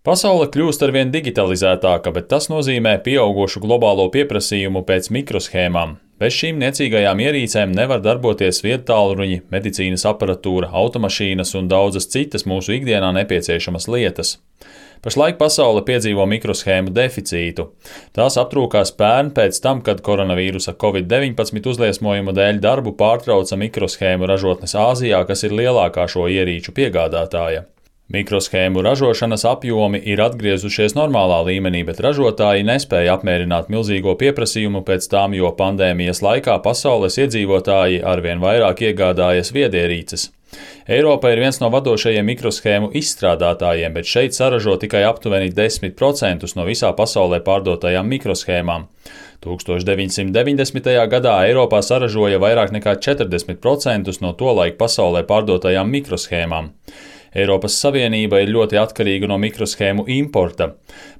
Pasaule kļūst arvien digitalizētāka, bet tas nozīmē pieaugušu globālo pieprasījumu pēc mikroshēmām. Bez šīm niecīgajām ierīcēm nevar darboties viedtālruņi, medicīnas aparatūra, automašīnas un daudzas citas mūsu ikdienā nepieciešamas lietas. Pašlaik pasaule piedzīvo mikroshēmu deficītu. Tās aptrūkās pērn pēc tam, kad koronavīrusa Covid-19 uzliesmojuma dēļ darbu pārtrauca mikroshēmu ražotnes Āzijā, kas ir lielākā šo ierīču piegādātāja. Mikroshēmu ražošanas apjomi ir atgriezušies normālā līmenī, bet ražotāji nespēja apmierināt milzīgo pieprasījumu pēc tām, jo pandēmijas laikā pasaules iedzīvotāji arvien vairāk iegādājas viedierīces. Eiropa ir viens no vadošajiem mikroshēmu izstrādātājiem, bet šeit saražo tikai aptuveni 10% no visā pasaulē pārdotajām mikroshēmām. 1990. gadā Eiropā saražoja vairāk nekā 40% no tolaik pasaulē pārdotajām mikroshēmām. Eiropas Savienība ir ļoti atkarīga no mikroshēmu importa.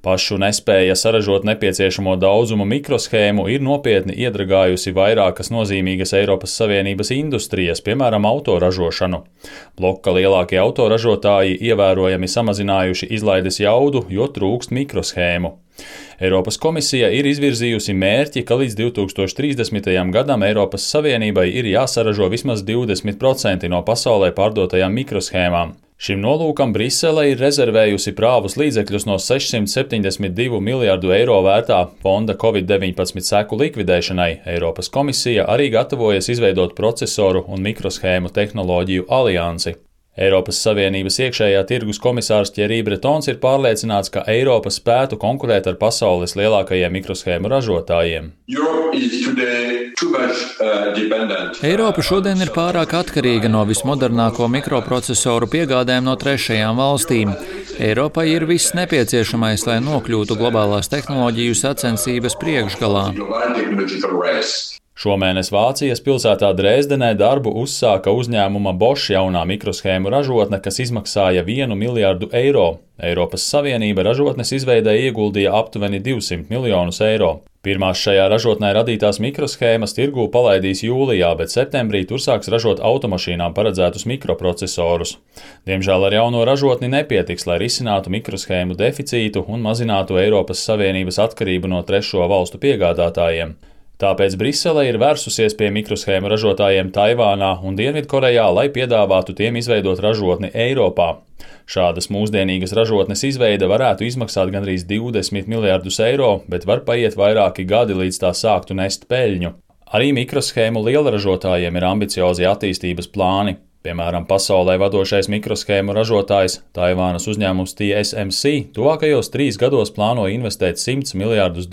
Pašu nespēja saražot nepieciešamo daudzumu mikroshēmu ir nopietni iedragājusi vairākas nozīmīgas Eiropas Savienības industrijas, piemēram, autoražošanu. Bloka lielākie autoražotāji ievērojami samazinājuši izlaides jaudu, jo trūkst mikroshēmu. Eiropas komisija ir izvirzījusi mērķi, ka līdz 2030. gadam Eiropas Savienībai ir jāsaražo vismaz 20% no pasaulē pārdotajām mikroshēmām. Šim nolūkam Brisele ir rezervējusi prāvus līdzekļus no 672 miljārdu eiro vērtā fonda Covid-19 seku likvidēšanai. Eiropas komisija arī gatavojas izveidot procesoru un mikroshēmu tehnoloģiju aliansi. Eiropas Savienības iekšējā tirgus komisārs Thierry Bretons ir pārliecināts, ka Eiropa spētu konkurēt ar pasaules lielākajiem mikroshēmu ražotājiem. Eiropa šodien ir pārāk atkarīga no vismodernāko mikroprocesoru piegādēm no trešajām valstīm. Eiropai ir viss nepieciešamais, lai nokļūtu globālās tehnoloģiju sacensības priekšgalā. Šomēnes Vācijas pilsētā Dresdenē darbu uzsāka uzņēmuma Bosch jaunā mikroshēmu ražotne, kas izmaksāja 1 miljārdu eiro. Eiropas Savienība ražotnes izveidē ieguldīja aptuveni 200 miljonus eiro. Pirmās šajā ražotnē radītās mikroshēmas tirgū palaidīs jūlijā, bet septembrī tur sāks ražot automašīnām paredzētus mikroprocesorus. Diemžēl ar jauno ražotni nepietiks, lai risinātu mikroshēmu deficītu un mazinātu Eiropas Savienības atkarību no trešo valstu piegādātājiem. Tāpēc Brisele ir vērsusies pie mikroshēmu ražotājiem Taivānā un Dienvidkorejā, lai piedāvātu tiem izveidot ražotni Eiropā. Šādas mūsdienīgas ražotnes izveide varētu izmaksāt gandrīz 20 miljārdus eiro, bet var paiet vairāki gadi, līdz tā sāktu nest peļņu. Arī mikroshēmu lielražotājiem ir ambiciozi attīstības plāni. Piemēram, pasaulē vadošais mikroshēmu ražotājs Taivānas uzņēmums TSMC tuvākajos 3 gados plāno investēt $100 miljārdus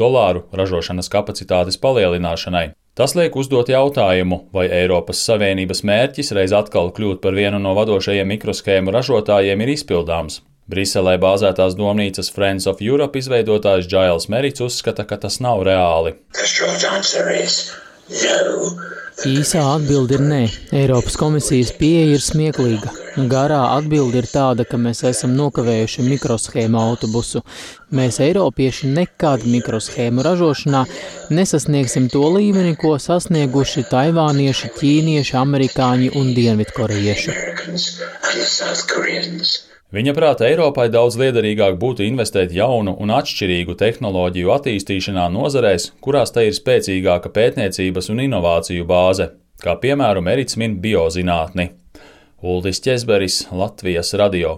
ražošanas kapacitātes palielināšanai. Tas liek uzdot jautājumu, vai Eiropas Savienības mērķis reiz atkal kļūt par vienu no vadošajiem mikroshēmu ražotājiem ir izpildāms. Briselē bāzētās domnīcas Friends of Europe izveidotājs Giles Merits uzskata, ka tas nav reāli. Īsā atbilde ir nē. Eiropas komisijas pieeja ir smieklīga. Garā atbilde ir tāda, ka mēs esam nokavējuši mikroshēmu autobusu. Mēs, eiropieši, nekad mikroshēmu ražošanā nesasniegsim to līmeni, ko sasnieguši taivānieši, ķīnieši, amerikāņi un dienvidkorejieši. Viņa prāta Eiropai daudz liederīgāk būtu investēt jaunu un atšķirīgu tehnoloģiju attīstīšanā nozarēs, kurās tai ir spēcīgāka pētniecības un inovāciju bāze, kā piemēram Merits min biozinātni. Uldis Ķezberis, Latvijas radio.